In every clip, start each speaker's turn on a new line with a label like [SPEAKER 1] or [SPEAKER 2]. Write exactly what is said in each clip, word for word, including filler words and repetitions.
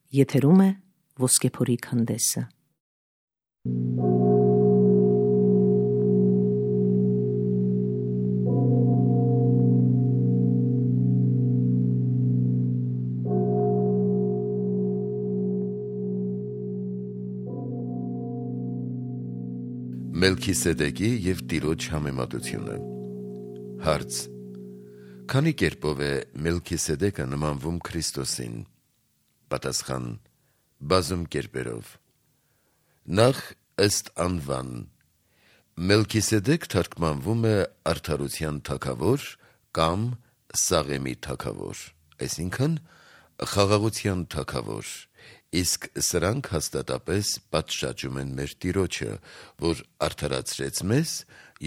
[SPEAKER 1] Եթերում է Ոսկեփորի քանդեսը։
[SPEAKER 2] Մելքիսեդեկի և Տիրոջ համեմատությունը։ Հարց. Քանի կերպով է Մելքիսեդեկը նմանվում Քրիստոսին։ Պատասխան. բազում կերպերով։ Նախ ըստ անվան։ Մելքիսեդեկ թարգմանվում է արդարության թագավոր կամ Սաղեմի թագավոր, այսինքն խաղաղության թագավոր, իսկ սրանք հաստատապես պատշաճում են մեր Տիրոջը, որ արդարացրեց մեզ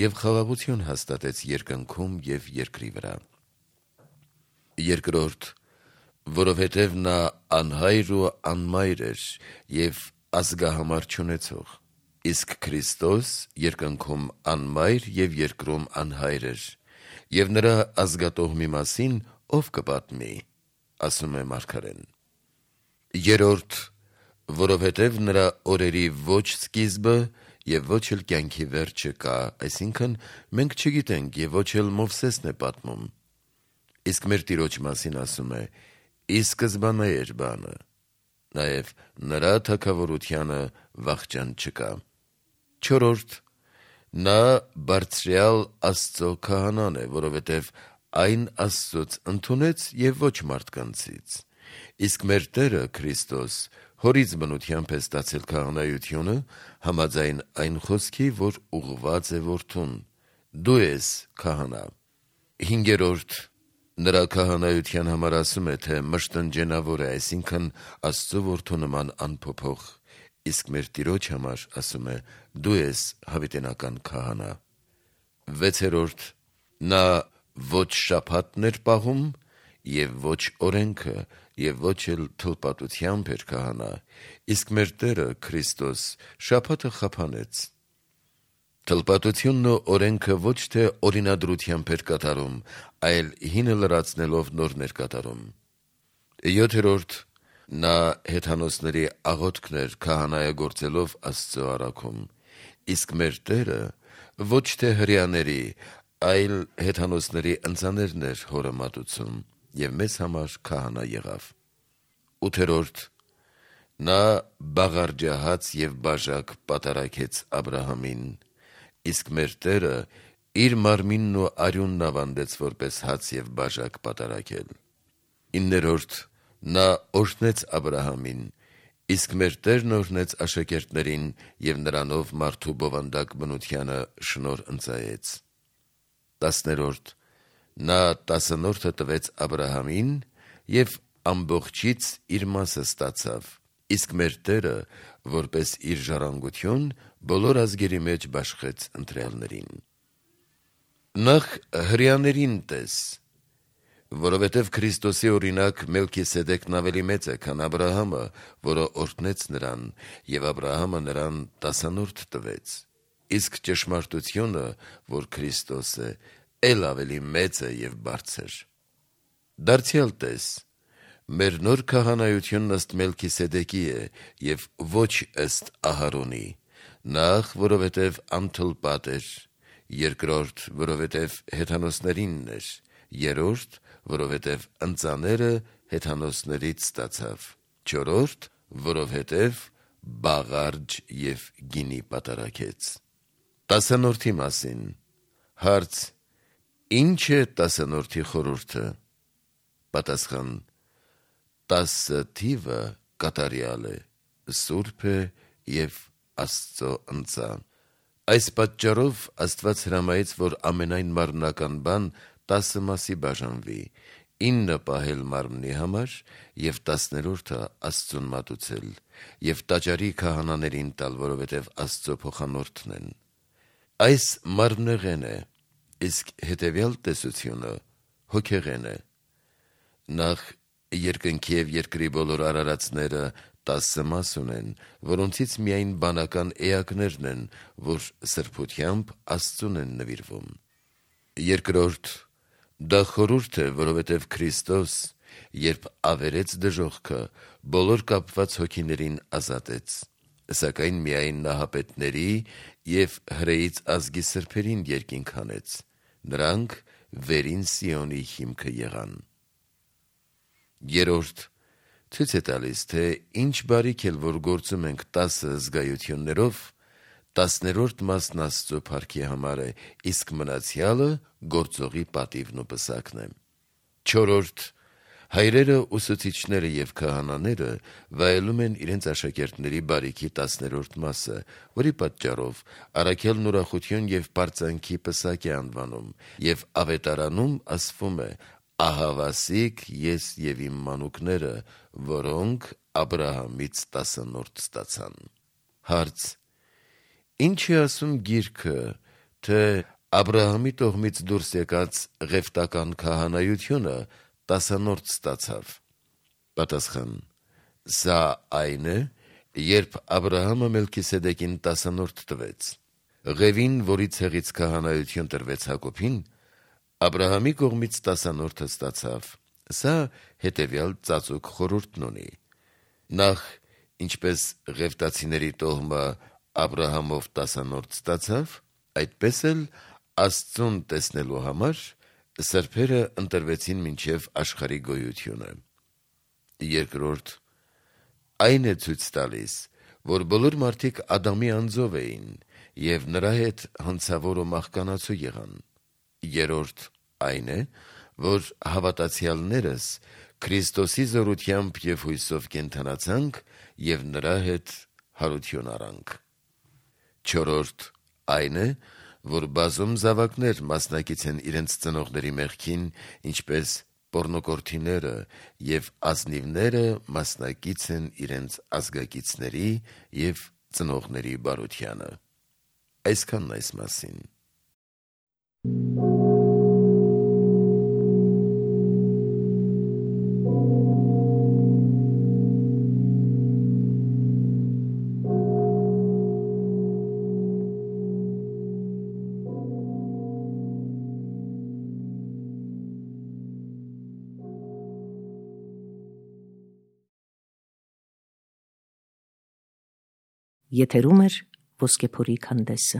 [SPEAKER 2] և խաղաղություն հաստատեց երկնքում և երկրի վրա։ Երկրորդ. որովհետև նա անհայր ու անմայր էր և ազգահամար չունեցող, իսկ Քրիստոս երկնքում անմայր և երկրում անհայր էր, և նրա ազգատոհմի մասին ով կպատմի, ասում է մարգարեն։ Երրորդ. որովհետև նրա օրերի ոչ սկիզբը և ոչ էլ կյանքի վերջը կա, այսինքն մենք չգիտենք և ոչ էլ Մովսեսն է պատմում, իսկ մեր Տիրոջ մասին ասում է. ի սկզբանե էր բանը, նաև նրա թագավորությանը վախճան չկա։ Չորրորդ. նա բարձրյալ Աստծո քահանան է, որովհետև այն Աստծուց ընդունեց և ոչ մարդկանցից, իսկ մեր Տերը Քրիստոս հորից բնությամբ է ստացել քահանայությունը համաձայն այն խոսքի, որ ուղղված է որդուն. դու ես քահանա։ Հինգերորդ. նրա քահանայության համար ասում է, թե մշտնջենավոր է, այսինքն Աստծո որդու նման անփոփոխ, իսկ մեր Տիրոջ համար ասում է. դու ես հավիտենական քահանա։ Վեցերորդ. նա ոչ շաբաթն էր պահում և ոչ օրենքը և ոչ էլ թլպատությամբ էր քահանա, իսկ մեր Տերը Քրիստոս շաբաթը խափանեց։ Թլպատությունն ու օրենքը ոչ թե օրինադրությամբ էր կատարում, այլ հինը լրացնելով նորն էր կատարում։ Յոթերորդ. նա հեթանոսների աղոթքն էր քահանայագործելով Աստծո առաքում, իսկ մեր Տերը ոչ թե հրեաների, այլ հեթանոսների ընծաներն էր հորը մատուցում և մեզ համար քահանա եղավ։ Ութերորդ. նա բաղարջահաց և բաժակ պատարագեց Աբրահամին, իսկ մեր Տերը իր մարմինն ու արյունն ավանդեց որպես հաց և բաժակ պատարագել։ Իններորդ. նա օրհնեց Աբրահամին, իսկ մեր Տերն օրհնեց աշակերտներին և նրանով մարդու բովանդակ բնությանը շնորհ ընծայեց։ Տասներորդ. նա տասնորդը տվեց Աբրահամին և ամբողջից իր մասը ստացավ, իսկ մեր Տերը որպես իր ժառանգություն բոլոր ազգերի մեջ բաշխեց ընտրյալներին։ Նախ հրեաներին տես, որովհետև Քրիստոսի օրինակ Մելքիսեդեկն ավելի մեծ է, քան Աբրահամը, որը օրհնեց նրան, և Աբրահամը նրան տասնորդ տվեց, իսկ ճշմարտությունը, որ Քրիստոս է, էլ ավելի մեծ է և բարձր։ Դարձյալ տես, մեր նոր քահանայությունն ըստ Մելքիսեդեկի է և ոչ ըստ Ահարոնի, նախ, որովհետև անթլպատ էր, երկրորդ, որովհետև հեթանոսներինն էր, երրորդ, որովհետև ընծաները հեթանոսներից ստացավ, չորրորդ, որովհետև բաղարջ և գինի պատարագեց։ Տասնորդի մասին։ Հարց. ի՞նչ է տասնորդի խորհուրդը։ Պատասխան. տասը թիվը կատարյալ է, սուրբ է և Աստծո ընծա։ Այս պատճառով Աստված հրամայեց, որ ամենայն մարմնական բան տասը մասի բաժանվի, ինը պահել մարմնի համար և տասներորդը Աստծուն մատուցել և տաճարի քահանաներին տալ, որովհետև Աստծո փոխանորդն են։ Այս մարմնեղեն է, իսկ հետևյալ տեսությունը հոգեղեն է։ Նախ, երկնքի և երկրի բոլոր արարածները տասը մաս ունեն, որոնցից միայն բանական էակներն են, որ սրբությամբ Աստծուն են նվիրվում։ Երկրորդ, դա խորհուրդ է, որովհետև Քրիստոս երբ ավերեց դժոխքը, բոլոր կապված հոգիներին ազատեց, սակայն միայն նահապետների և հրեից ազգի սրբերին երկինք հանեց, նրանք վերին Սիոնի հիմքը եղան։ Երորդ, ցույց է տալիս, թե ինչ բարիք էլ որ գործում ենք տասը զգայություններով, տասներորդ մասն Աստծո փառքի համար է, իսկ մնացյալը գործողի պատիվն ու պսակն է։ Չորրորդ, հայրերը, ուսուցիչները և քահանաները վայելում են իրենց աշակերտների բարիքի տասներորդ մասը, որի պատճառով առաքյալն ուրախություն և պարծանքի պսակ է անվանում, և ավետարանում ասվում է. «Ահավասիկ ես և իմ մանուկները, որոնք Աբրահամից տասանորդ ստացան»։ Հարց. Ինչ է ասում գիրքը, թե Աբրահամի տոհմից դուրս եկած ղևտական քահանայությունը տասանորդ ստացավ։ Պատասխան. Սա այն է, երբ Աբրահամը Մելքիսեդեկին տասանորդ տվեց։ Ղևին, որի ցեղից քահանայություն տրվեց Հակոբին, Աբրահամի կողմից տասանորդը ստացավ։ Սա հետևյալ ծածուկ խորհուրդն ունի. Նախ, ինչպես ղևտացիների տոհմը Աբրահամով տասանորդ ստացավ, այդպես էլ Աստծուն տեսնելու համար սրբերը ընտրվեցին մինչև աշխարհի գոյությունը։ Երկրորդ, այն է ցույց տալիս, որ բոլոր մարդիկ Ադամի անձով էին և նրա հետ հանցավոր ու մահկանացու եղան։ Երրորդ, այն է, որ հավատացյալներս Քրիստոսի զորությամբ և հույսով կենդանացանք և նրա հետ հարություն առանք։ Չորրորդ, այն է, որ բազում զավակներ մասնակից են իրենց ծնողների մեղքին, ինչպես պոռնոկորթիները, և ազնիվները մասնակից են իրենց ազգակիցների և ծնողների բարությանը։ Այսքանն այս մասին։
[SPEAKER 1] Եթերում է «Ոսկեփորի քանդեսը»։